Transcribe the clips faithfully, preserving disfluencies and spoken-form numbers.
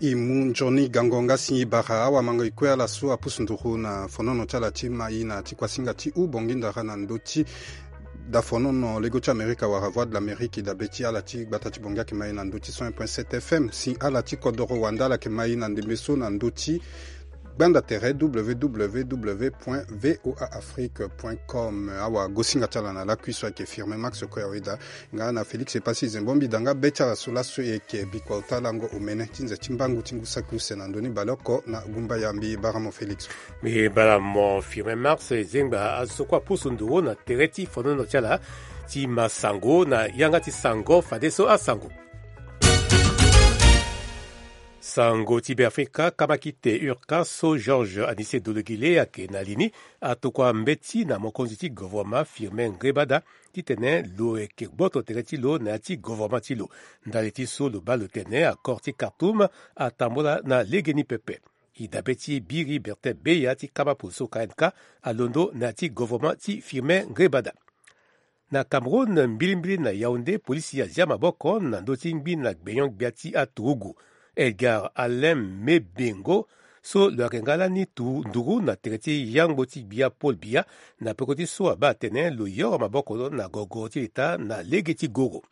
E mu nzoni gango nga si e bara awamango e kue ala so apusu nduru na fonono ti ala ti mai na ti kuasinga ti U Bongi Ndara na ndö ti dafonono lego ti Amerika wala Voix de l'Amérique. E dabe ti ala ti gbata ti Bongi ayeke mai na ndö ti cent un point sept F M. Si ala ti kodoro wande ala yeke mai na ndembe so na ndö ti gbanda tere w w w point v o a afrique point com. Awagosinga ti ala na lakui so ayeke Firmin Max Koyaweda nga na Félix Epassi Zembo mbi da nga be ti ala so laso e yeke bikua ota lango omene ti nze ti mbangu ti ngu saki use na ndö ni baleoko na gumba ya mbi bara mo Félix. Mbi bara mo Firmin Max. E zengba azo so kue apusu nduru na tere ti fonono ti ala ti ma sango na yanga ti sango fadeso asango. Sango ti Beafrika, kamakite Urca so Georges Anicet Dologuillet ayeke na li ni atokua mbeti na mokonzi ti govoroma Firmin Ngebada titene lo yeke gboto tere ti lo na ya ti govoroma ti lo. Ndali ti so lo baa lo tene accord ti Khartoum atambula na legeni pepe. E dabe ti biri Bertin Beya ti kamapo so K N K alondo na ya ti govoroma ti Firmin Ngebada. Na Cameroun, mbilimbili na Yaoundé, polisi azia maboko na ndö ti ngbina gbenyon-gbia ti aturugu Edgar Alain Mebengo so lo yeke nga lani tu nduru na tere ti yangbo ti gbia Paul Biya na peko ti so abaa atene lo yoro maboko na gogo ti leta na lege ti goro.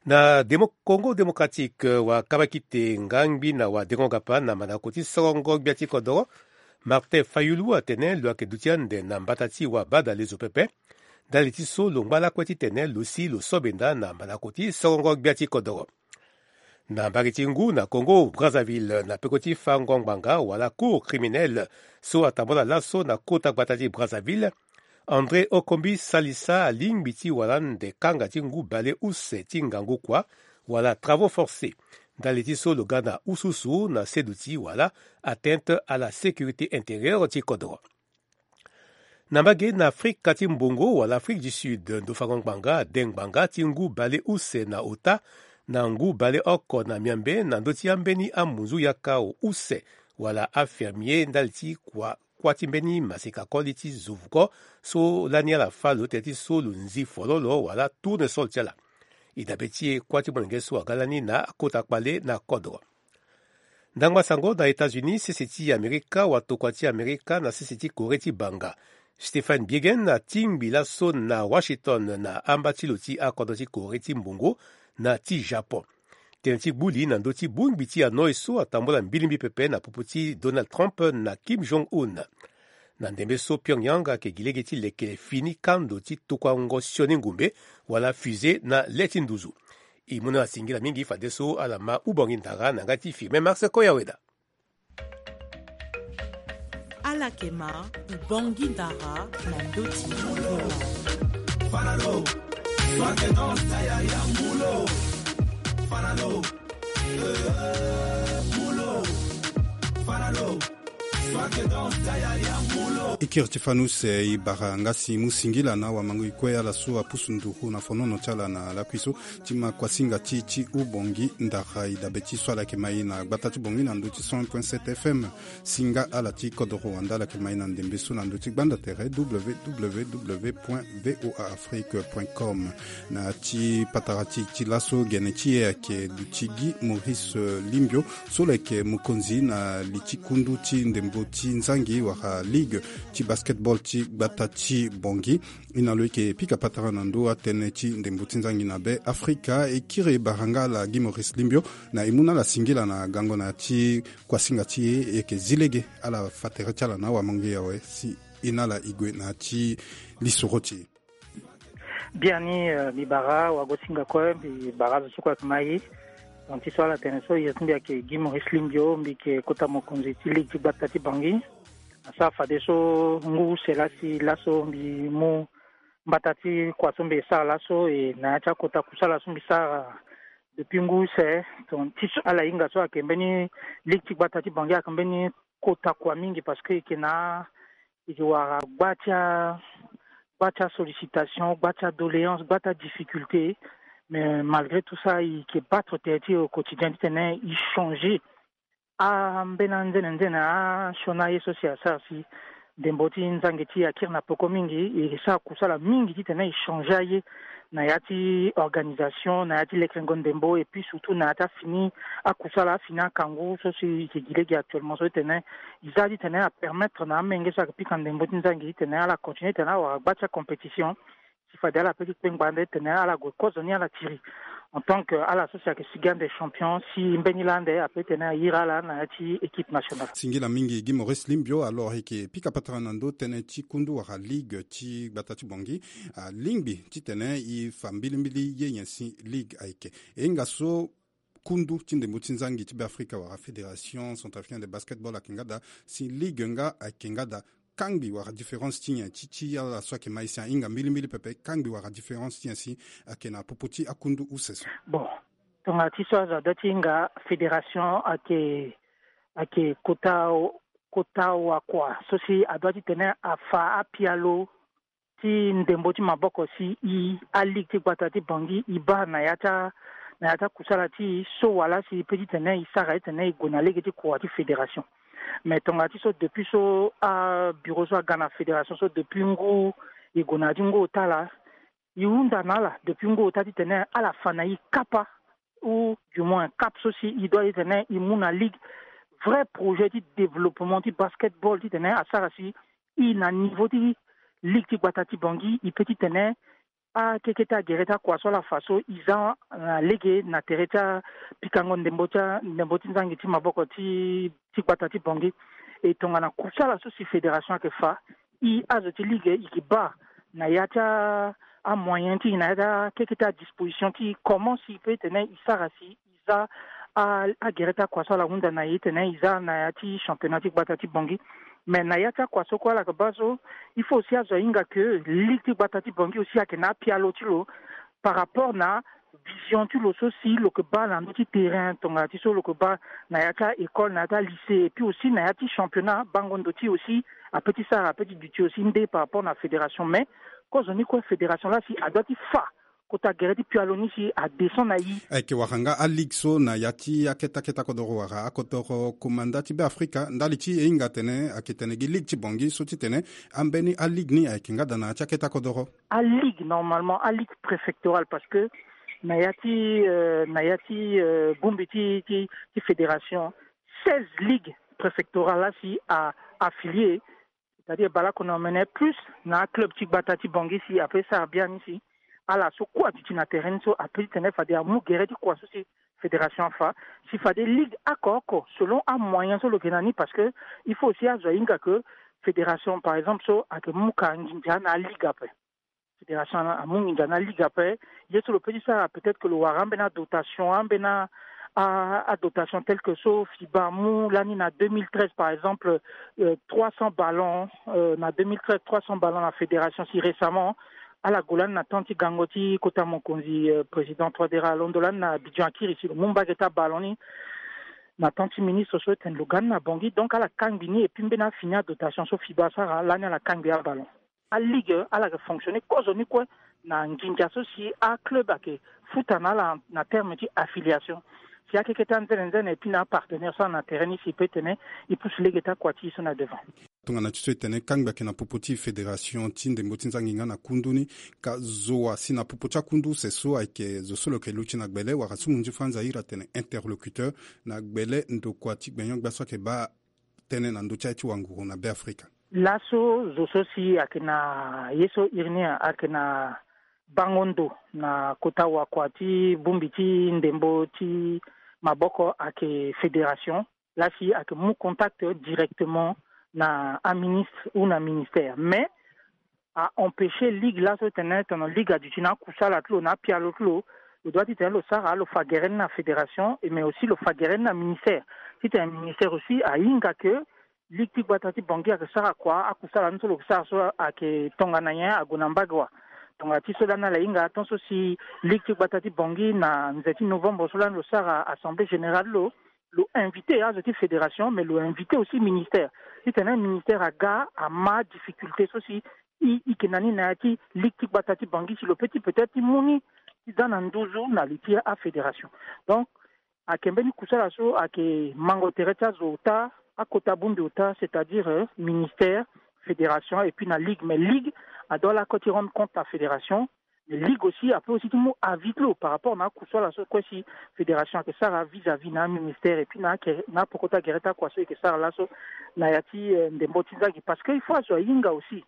Na Demo-, Congo Démocratique, wakabakite nga ngbina wa dengo gapa na mandako ti sorongo gbia ti kodoro Martin Fayulu atene lo yeke duti ande na mbata ti wabadalezo pepe. Ndali ti so lo ngba lakue titene lo si lo so benda na mandako ti sorongo gbia ti kodoro. Na mbage ti ngu na Congo Brazzaville na peko ti fango ngbanga wala cour criminelle so atambula laso na kota gbata ti Brazzaville, André Okombi Salissa alingbi ti wara ande kanga ti ngu bale use ti ngangu kua wala travaux forcés. Ndali ti so lo ga na ususu na seduti wala atteinte à la sécurité intérieure ti kodro. Na mbage na Afrika ti mbongo wala Afrique du Sud, ndo fango ngbanga ade ngbanga ti ngu bale use na ota na ngu bale oko na miambe na ndö ti ambeni amunzu yaka use wala afermier ndali ti kua kuâ ti mbeni maseka koli ti zovuko so lani ala fâ lo tene ti so lo nzi fololo wala tournesol ti ala. E dabe ti e kuâ ti molenge so aga lani na akota kpale na kodro. Ndangba sango na États-Unis, sese ti Amerika watokua ti Amerika na sese ti Corée ti banga, Stephen Biegun atingbi laso na Washington na amba ti lo ti akodro ti Corée ti mbongo na ti Japon. Tënë ti gbu li na ndö ti bongbi ti anoi so atambula mbilimbi pepe na popo ti Donald Trump na Kim Jong-un. Na ndembe so Pyongyang ayeke gi lege ti leke fini kando ti tokuango sioni ngombe wala fusée na le ti nduzu. E mu na ala singila mingi fadeso ala ma ubongi ndara na ngai ti Firmin Max Koyaweda. Ala yeke ma ubongi ndara na ndö ti Ikiri ti fanus, eh, e bara nga si mu singila na wamango e kue ala so apusu nduru na fonono ti ala na lakui so ti ma kuasinga ti ti ubongi ndara. E dabe ti so ala yeke mai na gbata ti bongi na ndö ti cent point sept F M. Si nga ala ti kodoro wande ala yeke mai na ndembe so na ndö ti gbanda tere w w w point v o a afrique point com. Na ti patara ti, ti laso gene ti e ayeke duti Guy Maurice, eh, Limbio so lo yeke mokonzi na li ti kundu ti ndembo ti nzangi wala ligue ti basketball ti gbata ti bongi. E na lo e yeke pika patara na ndö atënë ti ndembo ti nzangi na be Afrika. E kiri e bara nga ala Guy Maurice Limbio na e mu na ala singila na gango na ya ti kuasinga ti e. E yeke zi lege ala fa tere ti ala na awamango e awe si e na ala e gue na ya ti lisoro ti e. Biani, eh, mbi bara wagosinga kue, mbi bara azo so kue ayeke mai. Donc ti so ala tene so, ye ti mbi ayeke Guy Maurice Limbio, mbi yeke kota mokonzi ti ligue ti gbata ti Bangui. Asara fadeso ngu use lasi laso mbi mu mbata ti kua so mbi sara laso, e na ya ti akota kusala so mbi sara depuis ngu use. Donc ti so ala hinga so ayeke mbeni ligue ti gbata ti Bangui ayeke mbeni kota kua mingi parce que e yeke na, e yeke wara gba ti a, gba ti asollicitation, gba ti adoléance, gba ti adifficulté. Mais malgré tout ça e yeke battre tere ti e au quotidien titene e changer ambeni anzene nzene asioni aye so si asara si ndembo ti nzangi ti akiri na peko mingi. E sara kusala mingi titene e changer aye na ya ti organisation, na ya ti lekerengo ndembo, et puis surtout na ya ti afini akusala, afini akangu so si e ke gi lege actuellement so titene e za titene apermettre na amenge so ayeke pika ndembo ti nzangi titene ala continuer titene awara gba ti acompétition. Si fade ala pe ti kpengba ande titene ala gue kozo ni ala tiri en tant que ala so si ayeke sigi ande champion, si mbeni laa ande ape titene ayiri ala na ya ti équipe nationale. Singila mingi Guy Maurice Limbio. Alors e yeke pika patara na ndö tënë ti kundu wala ligue ti gbata ti Bangui. Alingbi titene e fa mbilimbili ye nyen si ligue ayeke. E hinga so kundu ti ndembo ti nzangi ti Beafrika wala Fédération Centrafricaine de Basketball ayeke nga daa, si ligue nga ayeke nga daa, kangbi wala différence ti nyen ti ti ala so ayeke ma e si ahinga mbilimbili pepe, kangbi wala différence ti nyen si ayeke na popo ti akundu use so? Bon, tonga ti so azo adoit ti hinga, fédération ayeke, ayeke kota, kota wakua so si adoit titene afa apialo ti ndembo ti maboko si e, aligue ti gbata ti Bangui, e baa na ya ti a, na ya ti akusala ti e so wala si e pe titene e sara titene e gue na lege ti kua ti fédération. Mais tonga ti so depuis so abureau so aga na fédération so depuis ngu, e gue na ya ti ngu ota laa, e hunda na ala depuis ngu ota titene ala fa na e kapa, ou du moins cap so si e doit titene e mu na ligue, vrai projet ti développement ti basketball titene asara si e na niveau ti ligue ti gbata ti Bangui e pe titene akeke ti agere ti akua so ala fa so e za na lege na tere ti apikango ndembo ti a, ndembo ti nzangi ti maboko ti, ti gbata ti Bangui. E tongana kusala so si fédération ayeke fa, e azo ti ligue e yeke baa na ya ti a, amoyen ti e, na ya ti akeke ti adisposition ti e, comment si e pe titene e sara si e za a, agere ti akua so ala hunda na e titene e za na ya ti championnat ti gbata ti Bangui. Mais na ya ti akua so kue ala yeke baa so, il faut aussi azo ahinga que ligue ti gbata ti Bangui aussi ayeke na apialo ti lo par rapport na vision ti lo so si lo yeke baa na ndö ti terrain, tonga ti so lo yeke baa na ya ti a-école, na ya ti a-lycée, et puis aussi na ya ti championnat, bango ndo ti e aussi ape ti sara, ape ti duti aussi nde par rapport na fédération. Mais kozoni kue fédération laa si adoit ti fa kota gere ti pialo ni si adescend na e. Ayeke wara nga aligue so na ya ti akete akete akodoro wala akodoro komanda ti Beafrika, ndali ti e hinga atene ayeke tene gi ligue ti Bangui so ti tene ambeni aligue ni ayeke nga daa na ya ti akete akodoro. Aligue, normalement aligue préfectorale, parce que na ya ti, euh, na ya ti, euh, bongbi ti, ti, ti fédération, seize ligues préfectorales laa si a affilié, c'est-à-dire baleoko na omene plus na aclub ti gbata ti Bangui si ape sara biani si ala so kue aduti na terrain ni so ape ti tene fade amu gere ti kua so si fédération afa, si fade ligue oko oko selon amoyen so lo yeke na ni, parce que il faut aussi azo ahinga que fédération par exemple so ayeke mu ka nginza na aligue ape. Fédération amu nginza na ligue ape. Ye so lo pe ti sara, peut-être que lo wara ambeni adotation, ambeni a, a, adotation tel que so FIBA amu lani na deux mille treize par exemple, euh, trois cents ballons, euh, na deux mille treize, trois cents ballons na fédération. Si récemment ala gue lani na temps ti gango ti kota mokonzi, euh, président Touadéra alondo lani na Abidjan akiri si lo mu mbage ti aballon ni na temps ti ministre so tene lo ga ni na Bangui. Donc ala kangbi ni, et puis mbeni afini adotation so FIBA asara lani ala kangbi aballon. Aligue ala yeke fonctionner kozoni kue na nginza so si aclub ayeke futa na ala na terme ti affiliation. Si akeke ti anzene nzene et puis na apartenaire so ala na terrain ni si e pe tene e pousse lege ti akua ti e so na devant. Tongana ti so e tene kangbi ayeke na popo ti fédération ti ndembo ti nzangi nga na kundu ni, ka zo wa si na popo ti akundu use so ayeke zo so lo yeke luti na gbele wala so munzu franz ahiri atene interlocuteur na gbele ndokua ti gbenyo-gbia so ayeke baa tënë na ndö ti aye ti wanguru na Beafrika. Laso zo so si ayeke na ye so iri ni ayeke na bango ndo na kota wakua ti bongbi ti ndembo ti maboko ayeke fédération, laa si ayeke mu contact directement na aministre ou na ministère. Mais a empêcher ligue laso tene tongana ligue aduti na akusala ti lo na apialo ti lo, lo doit titene lo sara, lo fa gere ni na fédération, et mais aussi lo fa gere ni na ministère. Titene ministère aussi ahinga que ligue ti gbata ti Bangui ayeke sara kua, akusala ni so lo yeke sara so ayeke tongana nyen, ague na mbage wa. Tongana ti so lani ala hinga tant so si ligue ti gbata ti Bangui na nze ti novembre so lani lo sara assemblée générale lo, lo invité azo ti fédération, mais lo invité aussi ministère. Titene ministère aga ama difficulté so si i, i yeke na ni na ya ti ligue ti gbata ti Bangui si lo pe ti peut-être ti mu ni ti za na nduzu na li ti afédération. Donc ayeke mbeni kusala so ayeke mango tere ti azo ota, akota bongbi ota, c'est-à-dire, euh, ministère, fédération et puis na ligue, mais ligue adoit lakue ti rendre compte na fédération. Mais ligue aussi ape aussi ti mu avis ti lo par rapport na akusala so kue si fédération ayeke sara vis-à-vis na aministère et puis na ake na apoko ti agere ti akua so eke sara laso na ya ti ndembo ti nzangi, parce que il faut azo ahinga aussi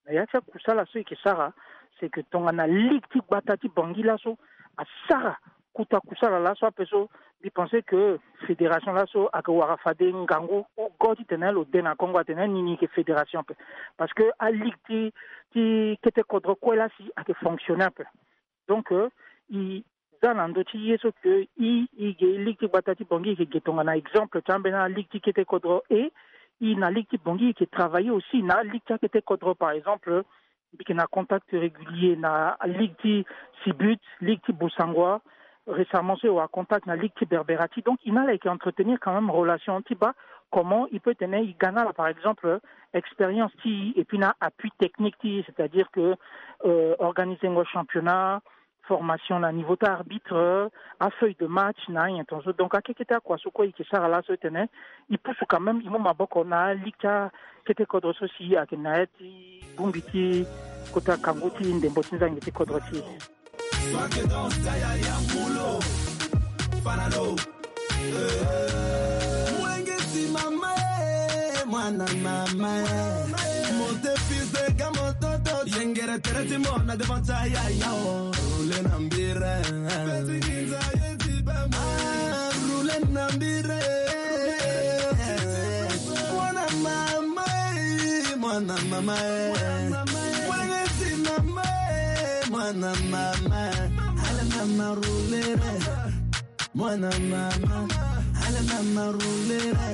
na ya ti akusala so eke sara. C'est que tongana ligue ti gbata ti Bangui laso asara kuta kusala laso ape so, mbi pense que fédération laso ayeke wara fade ngangu ou go titene lo de na kongo atene nini eke fédération ape. Parce que aligue ti ti kete kodro kue la si ayeke fonctionner ape. Donc i za na ndö ti ye so ke i i ge ligue ti gbata ti Bangui eke ge tongana exemple ti ambeni aligue ti kete kodro e i na ligue ti Bangui eke travailler aussi na aligue ti akete kodro. Par exemple mbi yeke na contact régulier na ligue ti Sibut, ligue ti Bossangoa. Récemment so e wara contact na ligue ti Berberati, donc i na ala yeke entretenir quand même relation ti baa comment i peut tene i ga na ala par exemple expérience ti i et puis na appui technique ti i, c'est-à-dire que organiser ngo championnat, formation na niveau ti arbitre, afeuille de match na anyen tongaso. Donc akekete akua so kue i yeke sara laso tene i pusu quand même i mu maboko na aligue ti akete kodro so si ayeke na ya ti bongbi ti kota kangu ti ndembo ti nzangi ti kodro ti e. Mwana mama e, mwana mama e. Monte fils de ga mototo. Yengere tere ti mona devant ta yaya o. Roule na mbire. Petit Ginza ye ti ba ma. Ah, roule na mbire. Mwana mama e, mwana mama e. Mwana mama e, mwana mama e. Ala mama roule re. Mwana mama, ala mama roule re.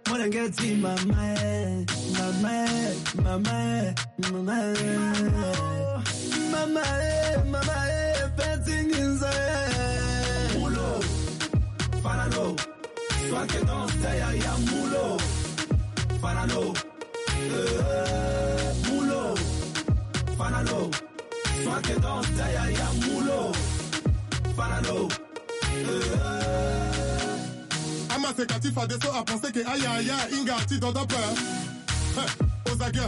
Mwana ngeti mama e, mama e, mama e, mama e. Mama e, mama e, Petit Ginza e. Mulo, Fanalo, soit que dans ta yaya mulo. Fanalo, eh, mulo, Fanalo, soit que dans ta yaya mulo. Fanalo. Amaseka ti fadeso apense ke ayaya ahinga ti dodo ape. Ozage.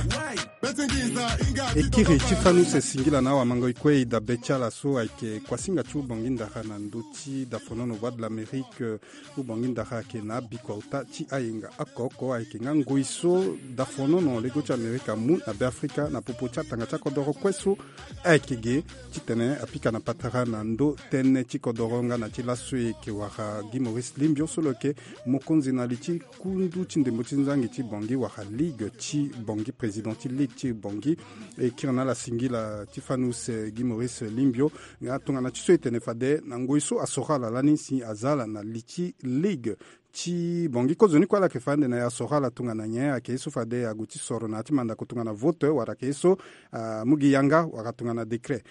Betingi nza hinga ti dodo ape. E kiri ti fanu se singila na awamangoi kue e dabe ti ala so ayeke kuasinga ti ubongi ndara na ndö ti dafonono Voix de l'Amérique. Ubongi ndara ayeke na abikua ota ti ayenga oko oko ayeke nga ngoi so dafonono lego ti Amerika amu na Beafrika na popo ti atanga ti akodoro kue so ayeke ge titene apika na patara na ndö tënë ti kodoro nga na ti laso e yeke wara Guy Maurice Limbio so lo yeke mokonzi na li ti kundu ti ndembo ti nzangi ti Bangui wala ligue ti Bangui, président ti ligue ti Bangui. E kiri na ala singila ti fanu se Guy Maurice Limbio nga tongana ti so e tene fade na ngoi so asoro ala lani si aza ala na li ti ligue ti Bangui. Kozoni kue ala yeke fa ande na e asoro ala tongana nyen? Ayeke ye so fade ague ti soro na ya ti mandako tongana vote wala ayeke ye so amu gi yanga wala tongana décret.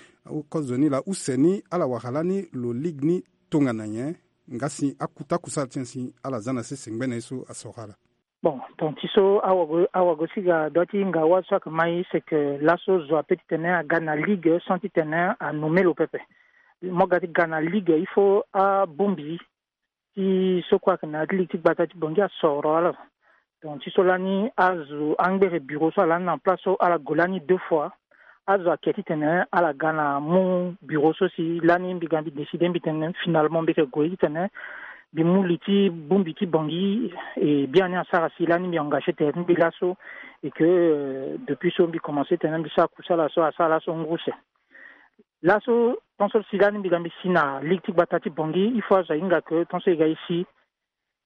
Kozoni laa use ni ala wara lani lo ligue ni tongana nyen? Nga si akuta kusala ti nyen si ala za na sese ngbene ye so asoro ala? Bon, donc ti so awago awago si ga dua ti hinga wâ so ayeke ma e c'est que laso zo ape titene aga na ligue sans titene anomme lo pepe. Mo ga ti ga na ligue il faut abongbi ti so kue ayeke na ya ti ligue ti gbata ti Bangui asoro ala. Donc ti so lani azo angbere bureau so ala lani na place so ala gue lani deux fois. Azo ayeke titene ala ga na mu bureau so si lani mbi ga mbi décider mbi tene finalement mbi yeke gue titene mbi mu li ti bongbi ti Bangui. E biani asara si lani mbi engagé tere ti mbi laso. Et que depuis so mbi commencé tene mbi sara kusala so asara laso ngu use. Laso tant so si lani mbi ga mbi si na ligue ti gbata ti Bangui il faut azo ahinga que tant so e ga e si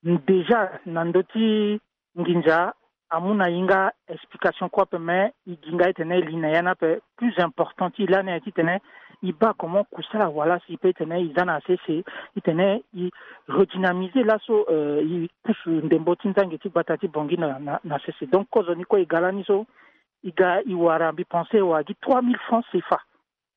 déjà na ndö ti nginza amu na e nga explication kue ape, mais e gi nga titene e li na ya ni ape. Plus important ti e lani aye titene e baa comment kusala awara si e peut titene e za na sese titene e redynamiser laso e pusu ndembo ti nzangi ti gbata ti Bangui na sese. Donc kozoni kue e ga lani so e ga e wara mbi pensé e wara gi trois mille francs CFA.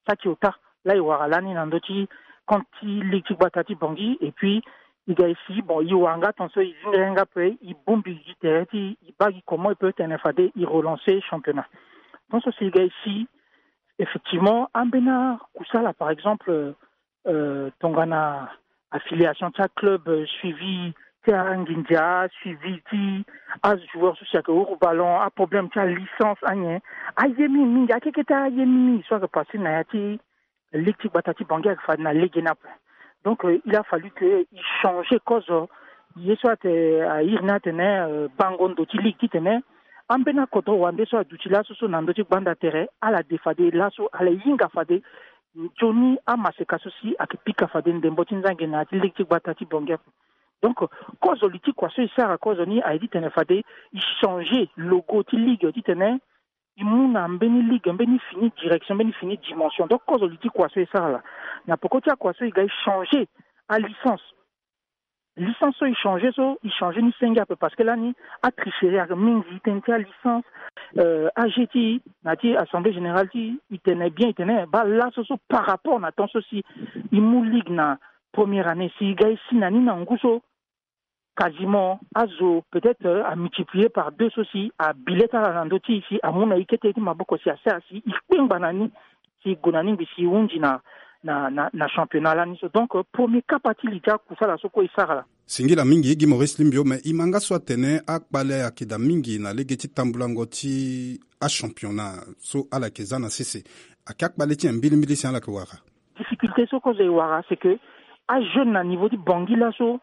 Saki ota laa e wara lani na ndö ti compte ti ligue ti gbata ti Bangui. Et puis e ga e si bon e wara nga tant so e zinga yanga ape e bongbi gi tere ti e baa gi comment e peut tene fade e relancer championnat. Tant so si e ga e si effectivement ambeni akusala par exemple tongana affiliation ti aclub suivi Te anginza suivi ti ajoueur so si ayeke huru ballon, aproblème ti alicence, anyen, aye mingi mingi. Akeke te aye mingi mingi so ayeke passé na ya ti ligue ti gbata ti Bangui ayeke fade na lege ni ape. Donc il a fallu que il change kozo. Ye so ate airi ni atene bango ndo ti ligue titene ambeni akodro wande so aduti laso so na ndö ti gbanda tere ala de fade laso ala hinga fade nzoni amaseka so si ayeke pika fade ndembo ti nzangi na ya ti ligue ti gbata ti Bangui ape. Donc kozo li ti kua so e sara kozo ni aye titene fade e changer logo ti ligue titene e mu na mbeni ligue mbeni fini direction mbeni fini dimension. Donc kozo li ti kua so e sara laa na peko ti akua so e ga e changer alicence. Licence so e changer so e changer ni senge ape parce que lani atricherie ayeke mingi tënë ti alicence. Age ti e na ya ti assemblée générale ti e e tene bien e tene baa laso so par rapport na temps so si e mu ligue na première année si e ga e si na ni na ngu so quasiment azo peut-être amultiplier par deux so si abile ti ala na ndö ti e si amu na e kete ti maboko si asara si e kpengba na ni si e gue na ni ngbi si e hunzi na na na championnat lani so. Donc premier kapa ti li ti akusala so kue e sara laa. Singila mingi Guy Maurice Limbio, mais e ma nga so atene akpale ayeke daa mingi na lege ti tambulango ti achampionnat so ala yeke za na sese. Ayeke akpale ti nyen mbilimbili si ala yeke wara? Difficulté so kozo e wara c'est que ajeune na niveau ti Bangui laso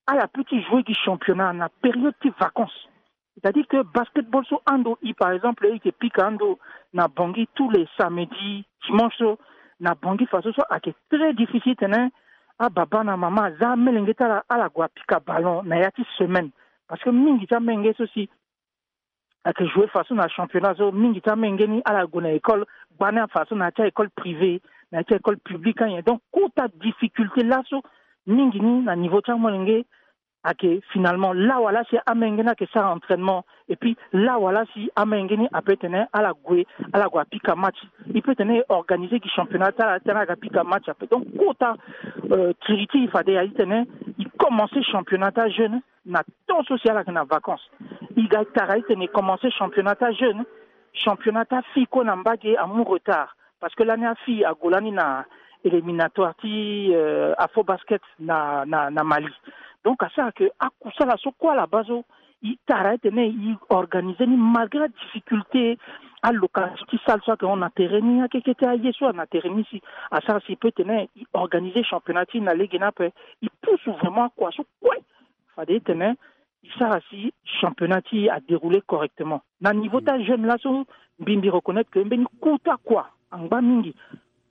ala peut ti jouer gi championnat na période ti vacances. C'est-à-dire que basketball so ando e par exemple e yeke pika ando na Bangui tous les samedis, dimanche so na Bangui faso so ayeke très difficile titene ababa na mama aza amolenge ti ala ala gue apika ballon na ya ti semaine. Parce que mingi ti amolenge so si ayeke jouer faso na championnat so mingi ti amolenge ni ala gue na école gbani afaso na ya ti a-école privée na ya ti a-école publique anyen. Donc kota difficulté laso mingi ni na niveau ti amolenge ayeke finalement lawala si amolenge ni ayeke sara entraînement et puis lawala si amolenge ni ape tene ala gue ala gue apika match. E peut tene e organiser gi championnat ti ala titene ala ga pika match ape. Donc kota kiri ti e fade aye titene e commencer championnat ti ajeune na temps so si ala yeke na vacances. E ga e tara titene e commencer championnat ti ajeune, championnat ti afille kue na mbage amu retard. Parce que lani afille ague lani na éliminatoire ti Afrobasket na na na Mali. Donc asara ke akusala so kue ala baa so e tara titene e organiser ni malgré adifficulté, alocation ti salle so ayeke hon na tere ni, akeke ti aye so ayeke na tere ni si asara si e peut tene e organiser championnat ti e na lege ni ape. E pousse vraiment akua so kue fade titene e sara si championnat ti e adérouler correctement. Na niveau ti ajeune laso mbi mbi reconnaître ke mbeni kota kua angba mingi.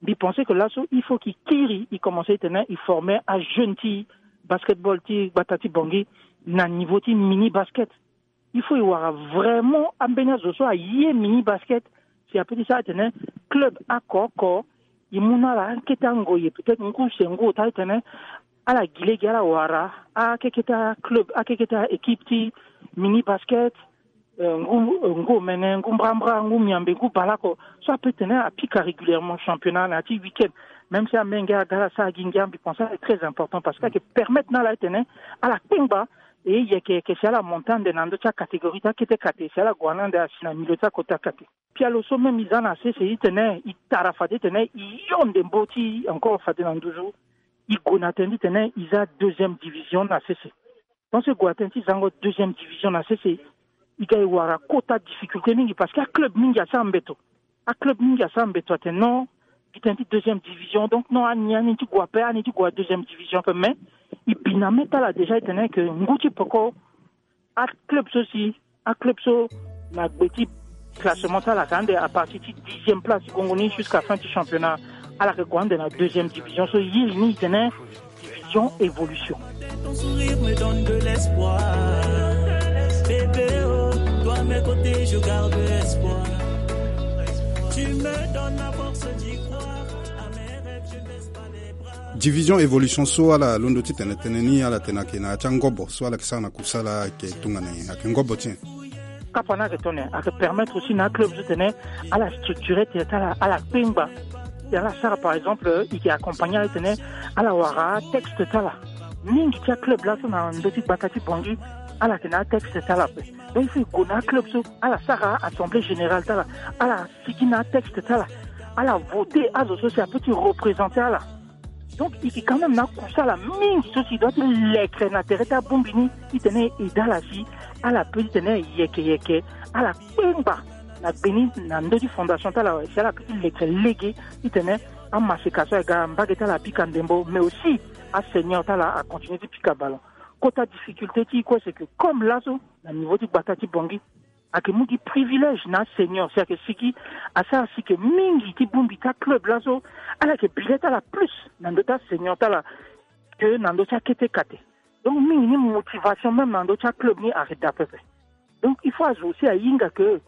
Mbi pensé ke laso il faut ke e kiri e commencer titene e former ajeune ti basketball ti gbata ti Bangui na niveau ti mini basket. Il faut e wara vraiment ambeni azo so aye mini basket si apeut ti sara titene club oko oko e mu na ala kete angoye peut-être ngu se ngu ota titene ala gi lege ala wara akeke ti aclub akeke ti aéquipe ti mini basket. Ngu ngu omene ngu mbrambra ngu miambe ngu baleoko so apeut tene apika régulièrement championnat na ya ti week-end. Même si amenge aga ala sara gi ngia mbi pense ala est très important parce que ayeke permettre na ala titene ala kpengba. E yeke yeke si ala monte ande na ndö ti acatégorie ti akete kate si ala gue na ande asi na milieu ti akota kate. Pialo so même e za na sese e tene e tara fade titene e yo ndembo ti encore fade na nduzu. E gue na tënë ti tene e za deuxième division na sese. Tant so e gue na tënë ti zango deuxième division na sese e ga e wara kota difficulté mingi parce que aclub mingi asara mbeto. Aclub mingi asara mbeto atene non gi tënë ti deuxième division donc non ani ani ti gue ape ani ti gue na deuxième division ape mais e bi na mê ti ala déjà e tene ke ngu ti peko aclub so si aclub so na gbe ti classement ti ala ake ande à partir ti dixième place ti gongo ni jusqu'à fin ti championnat. Ala ake gue ande na deuxième division so e iri ni e tene division évolution. Ton sourire me donne de l'espoir. Bébé oh, toi à mes côtés je garde espoir. Tu me donnes la force d'y croire. À mes rêves je baisse pas les bras. Division évolution so ala londo ti tene tënë ni ala tene ayeke na ya ti angobo so ala yeke sara na kusala ayeke tongana nyen ayeke ngobo ti nyen? Kapa ni ayeke tongana nyen ayeke permettre aussi na aclub so tene ala structure tere ti ala ala kpengba. Ala sara par exemple e yeke accompagner ala titene ala wara atexte ti ala. Mingi ti aclub laso na ndö ti gbata ti Bangui ala yeke na atexte ti ala ape. Donc il faut e gue na aclub so ala sara assemblée générale ti ala ala sigi na atexte ti ala. Ala voter azo so si apeut ti représenter ala. Donc il est quand même na kusala mingi so si doit ti lekre na tere ti abongbi ni, titene e da ala si ala pe titene yeke yeke ala kpengba na gbe ni na ndö ti fondation ti ala si ala pe ti lekre lege, titene amaseka so aga mbage ti ala apika ndembo mais aussi aseigneur ti ala acontinue ti pika ballon. Kota difficulté ti kue c'est que comme laso na niveau ti gbata ti bongi ayeke mu gi privilège na seigneur si ayeke sigi asara si ke mingi ti bongbi ti aclub laso ala yeke bilet ti ala plus na ndö ti aseigneur ti ala ke na ndö ti akete kate. Donc mingi ni motivation même na ndö ti aclub ni ayeke daa pepe. Donc il faut azo aussi ahinga ke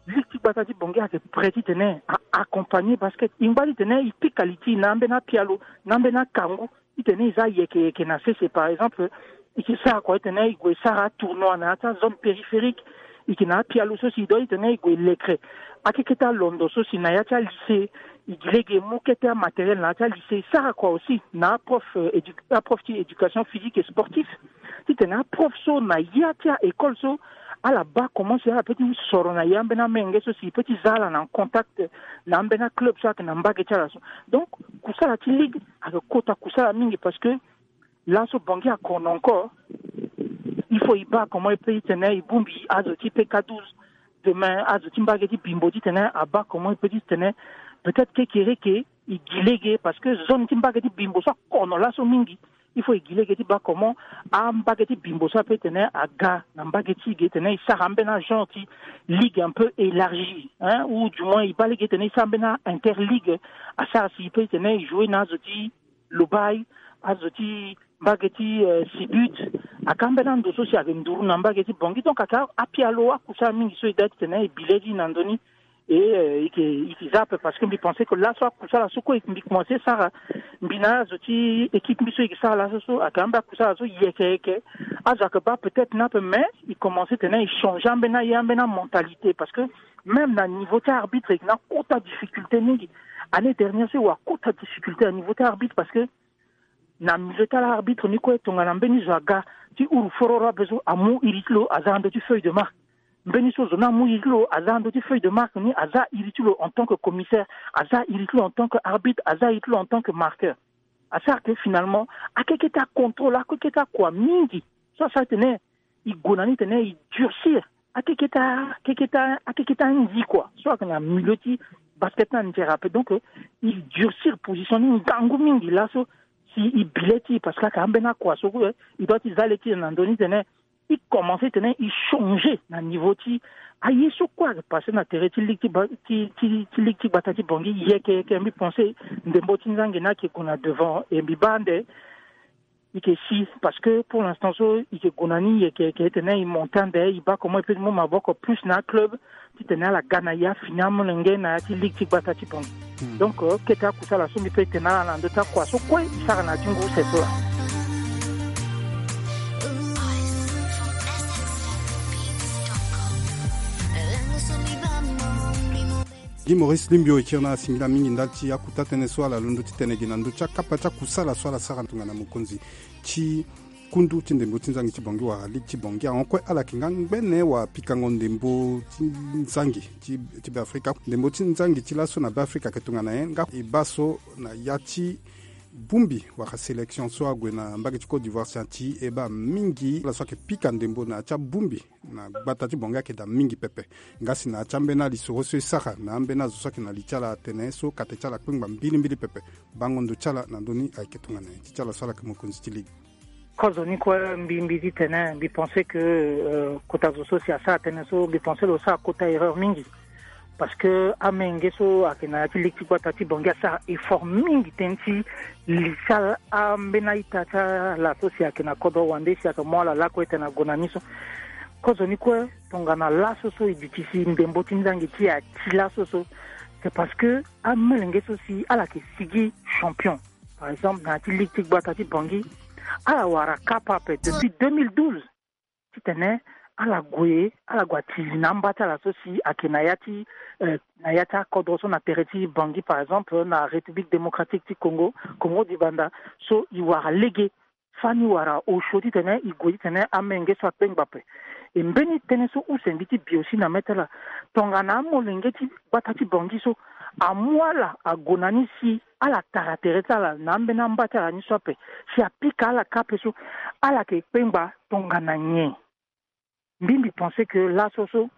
ligue ti gbata ti bongi ayeke prêt titene a accompagner basket e ngba titene e pika li ti e na ambeni apialo na ambeni akangu titene e za yeke yeke na sese par exemple. E ke sara kua titene e gue sara atournoi na ya ti azone périphérique. E ke na apialo so si e dua titene e gue lekre akekete alondo so si na ya ti alycée. E gi lege e mu kete amatériel na ya ti alycée e sara kua aussi na aprof ti éducation physique et sportif titene aprof so na ya ti aécole so ala baa comment si ala pe ti soro na ya ambeni amenge so si e pe ti za ala na contact na ambeni aclub so ayeke na mbage ti ala so. Donc kusala ti ligue ayeke kota kusala mingi parce que laso bongi akono encore. Il faut e baa comment e pe titene e bongbi azo ti pk douze demain azo ti mbage ti bimbo titene abaa comment e pe titene peut-être kekereke e gi lege parce que zone ti mbage ti bimbo so akono laso mingi. Il faut e gi lege ti baa comment ambage ti bimbo so ape titene aga na mbage ti e ge titene e sara ambeni agenre ti ligue un peu élargie hein ou du moins e baa lege titene e sara ambeni interligue asara si e pe titene e jouer na azo ti lobai azo ti mbage ti sibut. Aka ambeni ando so si ayeke nduru na mbage ti bongi donc aka apialo akusala mingi so e daa titene e bi le ti e na ndö ni. E yeke za ape parce que mbi pense que laso akusala so kue mbi commence sara mbi na azo ti équipe mbi so e yeke sara laso so ayeke ambeni akusala so yeke yeke. Azo ayeke baa peut-être ni ape mais e commence titene e changer ambeni aye ambeni amentalité parce que même na niveau ti arbitre e yeke na kota difficulté mingi. Année dernière so e wara kota difficulté na niveau ti arbitre parce que na milieu ti ala arbitre ni kue tongana mbeni zo aga ti uru fororo ape so amu iri ti lo aza na ndö ti feuille de marque. Mbeni so zo ni amu iri ti lo aza na ndö ti feuille de marque ni aza iri ti lo en tant que commissaire, aza iri ti lo en tant que arbitre, aza iri ti lo en tant que marqueur. Asara ke finalement akekete acontrôle akekete akua mingi so asara titene e gue na ni titene e durcir akekete akekete akekete anzi kua so ayeke na milieu ti basket ni anzere ape donc e durcir position ni ngangu mingi laso. Si e bi le ti e parce que ayeke ambeni akua so kue e doit ti za le ti e na ndö ni titene e commence titene e changer na niveau ti aye so kue ayeke passe na tere ti ligue ti ligue ti gbata ti bongi yeke yeke mbi pense ndembo ti nzangi ni ayeke gue na devant e mbi baa ande. E ke si parce que pour l'instant so e ke gue na ni yeke yeke titene e monte ande e baa comment e pe ti mu maboko plus na aclub titene ala ga na e afini amolenge na ya ti ligue ti gbata ti bongi. Donc kete akusala so mbi pe tene ala na ndö ti akua so kue e sara na ya ti ngu use so laa. Gi Maurice Limbio e kiri na ala singila mingi ndali ti akuta tënë so ala londo ti tene gi na ndö ti akapa ti akusala so ala sara tongana mokonzi ti kundu ti ndembo ti nzangi ti bongi wala ligue ti bongi ahon kue ala yeke nga ngbene wala pikango ndembo ti nzangi ti ti Beafrika. Ndembo ti nzangi ti laso na Beafrika ayeke tongana nyen nga e baa so na ya ti bongbi wala sélection so ague na mbage ti Côte d'Ivoire si ati e baa mingi ala so ayeke pika ndembo na ya ti abongbi na gbata ti bongi ayeke daa mingi pepe. Nga si na ya ti ambeni alisoro so e sara na ambeni azo so ayeke na li ti ala atene so kate ti ala akpengba mbilimbili pepe. Bango ndo ti ala na ndö ni ayeke tongana nyen ti ti ala so ala yeke mokonzi ti ligue. Kozo ni kue mbi mbi ti tene mbi pense que kota zo so si asara tënë so mbi pense lo sara kota erreur mingi. Parce que amenge so ayeke na ya ti ligue ti gbata ti bongi asara effort mingi tënë ti li ti ala ambeni a-ita ti ala so si ayeke na kodro wande si ayeke mu ala lakue tene ague na ni so. Kozo ni kue tongana laso so e duti si ndembo ti nzangi ti e ati laso so c'est parce que amolenge so si ala yeke sigi champion. Par exemple na ya ti ligue ti gbata ti bongi ala wara kapa ape depuis deux mille douze titene ala gue ala gue atili na amba ti ala so si ayeke na ya ti na ya ti akodro so na tere ti bongi par exemple na République démocratique ti Congo, Congo dibanda. So e wara lege fani wara osio titene e gue titene amenge so akpengba ape. E mbeni tënë so use mbi ti bi aussi na mê ti ala tongana amolenge ti gbata ti bongi so amu ala ague na ni si ala tara tere ti ala na ambeni amba ti ala ni so ape. Si apika ala ka ape so, ala yeke kpengba tongana nyen? Mbi mbi pense que laso so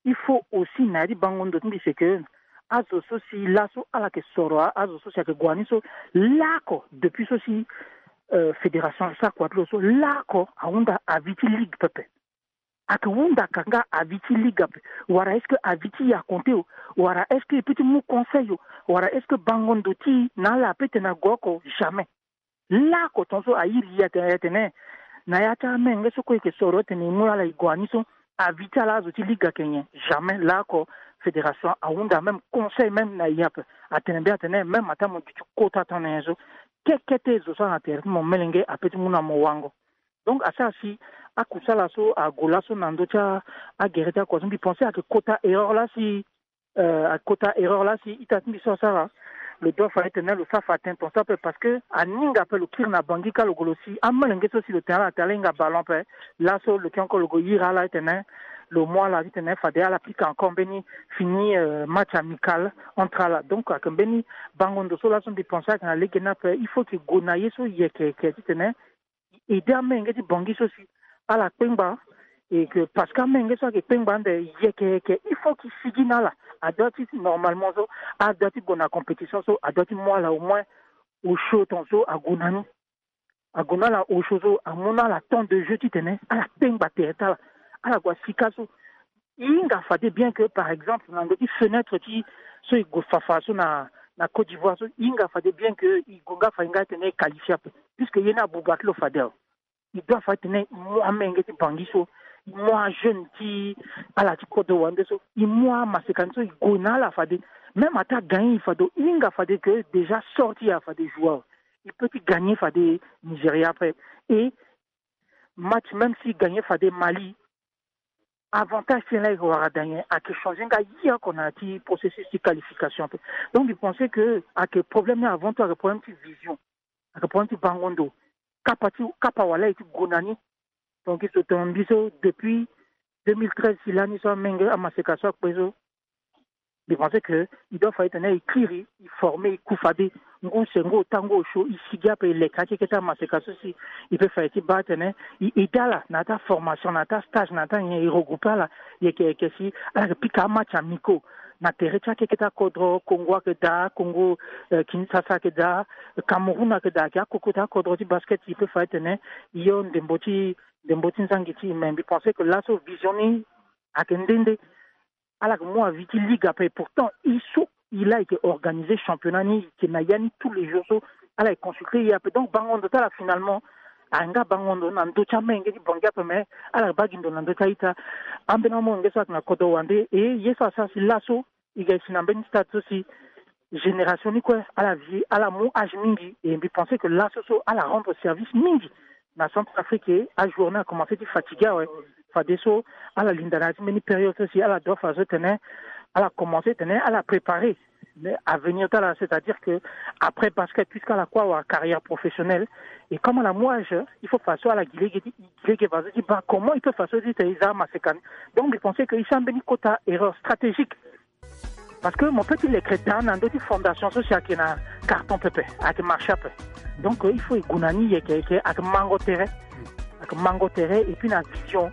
il faut aussi na ya ti bango ndo ti mbi, c'est que azo so si laso ala yeke soro, azo so si ayeke gue ni so, laoko depuis so si euh, fédération so akua ti lo so, laoko ahunda avis ti ligue pepe. Ayeke hunda ka nga avis ti ligue ape? Wala est-ce que avis ti e akonte o? Wala est-ce que e peut ti mu conseil o? Wala est-ce que bango ndo ti e na ala ape tene ague oko? Jamais. Laoko tongaso airi e atene, atene na ya ti amenge so kue e yeke soro tene e mu ala e gue ni so, avis ti ala azo ti ligue ayeke nyen? Jamais. Laoko fédération ahunda même conseil même na e ape. Atene mbeni atene même ataa mo duti kota temps na nyen so, kekete zo so ala na tere ti mo melenge ape ti mu na mo wango. Donc asara si akusala so ague laso na ndö ti agere ti akua so, mbi pense ayeke kota erreur laa si, euh, ayeke kota erreur laa si ita ti mbi so asara. Lo doit fa etene lo sara fa attention so ape, parce que aninga ape lo kiri na Bangui ka lo gue lo si amolenge so si lo tene ala tene ala hinga ballon ape. Laso lo yeke encore lo gue iri ala etene lo mu ala titene fade ala pika encore mbeni fini, euh, match amical entre ala. Donc ayeke mbeni bango ndo so laso mbi pense ayeke na lege ni ape, il faut que e gue na ye so yeke yeke titene e aide amenge ti Bangui so si ala kpengba. Et que parce que amenge so ayeke kpengba ande yeke yeke, il faut que e sigi na ala. Adoit ti normalement so adoit ti gue na compétition so adoit ti mu ala au moins osio tongaso ague na ni. Ague na ala osio so amu na ala temps de jeu titene ala kpengba tere ti ala. Ala gue asika so e hinga fade bien que par exemple na ndö ti fenêtre ti so e gue fafa so na, na Côte d'Ivoire so, e hinga fade bien que e gue nga fa e nga titene e qualifie ape, puisque ye ni abuba ti lo fade awe. E doit fade titene e mu amenge ti Bangui so, e mu ajeune ti ala ti kodro wande so, e mu amaseka ni so e gue na ala fade. Même ataa gagner e fade, e hinga fade que déjà sort ti e awe fade joue awe. E peut ti gagner fade Nigeria ape. Et match même si e gagner fade Mali, avantage ti e laa e wara daa nyen? Ayeke changer nga ye oko na ya ti processus ti qualification ape. Donc mbi pense que ayeke problème ni avant tout ayeke problème ti vision, ayeke problème ti bango ndo. Kapa ti, kapa wala e ti gue na ni. Donc e so tongana mbi so depuis deux mille treize si lani so amenge amaseka so akpe so, mbi pense que e doit fa e tene e kiri, e former, e ku fade ngu se ngu ota ngu osio, e sigi ape e leke akeke ti amaseka so si e peut fa e ti baa tene e aide ala na ya ti aformation, na ya ti astage, na ya ti anyen, e regrouper ala. Yeke yeke si ala yeke pika amatch amicaux na tere ti akeke ti akodro. Congo ayeke daa, Congo, euh, Kinshasa ayeke daa, Cameroun ayeke daa, ayeke akoko ti akodro ti basket. E peut fa e tene e yo ndembo ti, ndembo ti nzangi ti e. Mais mbi pense que laso vision ni ayeke nde nde. Ala yeke mu avis ti ligue ape, pourtant e so e laa e yeke organiser championnat ni, e yeke na ya ni tous les jours so ala yeke consulter e ape. Donc bango ndo ti ala finalement ayeke nga bango ndo na ndö ti amolenge ti Bangui ape, mais ala yeke baa gi ndo na ndö ti a-ita. Ambeni amolenge so ayeke na kodro wande, e ye so asara si laso e ga e si na mbeni stade so si génération ni kue ala vie, ala mu âge mingi. Et mbi pense que laso so ala rendre service mingi na Centrafrique. Ajournée akomanse ti fatigué awe. Fadeso ala linda na ya ti mbeni période so si ala doit fa so tene ala komanse tene ala préparer avenir ti ala, c'est-à-dire que après basket, puisque ala kue awara carrière professionnelle, et comme ala mu âge, il faut fa so ala gi lege ti, gi lege fa so ti baa comment il peut fa so ti tene e za amaseka ni. Donc mbi pense que e sara mbeni kota erreur stratégique. Parce que mo peut ti leke daa na ndö ti fondation so si ayeke na carton pepe, ayeke marché ape. Donc euh, il faut e gue na ni yeke yeke, ayeke mango tere, ayeke mango tere et puis na vision.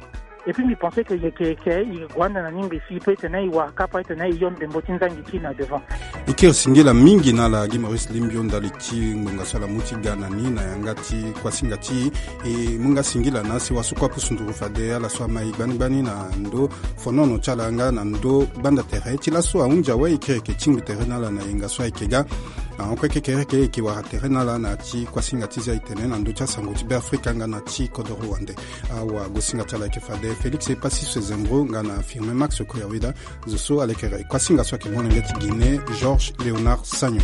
Et puis mbi pense que yeke yeke e gue ande na ni ngbe si e peut tene e wara kapa e tene e yo ndembo ti nzangi ti e na devant. E kiri singila mingi na ala Guy Maurice Limbio ndali ti ngbonga so ala mu ti ga na ni na yanga ti kuasinga ti e. E mu nga singila na asewa so kue apusu nduru fade ala so amai gbani gbani na ndö fonono ti ala nga na ndö gbanda tere. Ti laso ahunzi awe, e kiri yeke tingbi tere na ala na yenga so ayeke ga. Ahon kue kekereke e yeke wara tere na ala na ya ti kuasinga ti zia e tene na ndö ti asango ti Beafrika nga na ti kodoro wande. Awagosinga ti ala ayeke fade Félix Epassis Zembro nga na Firmin Max Koyaweda. Zo so ala yeke kuasinga so ayeke molenge ti Guinée, Georges Léonard Sagnon.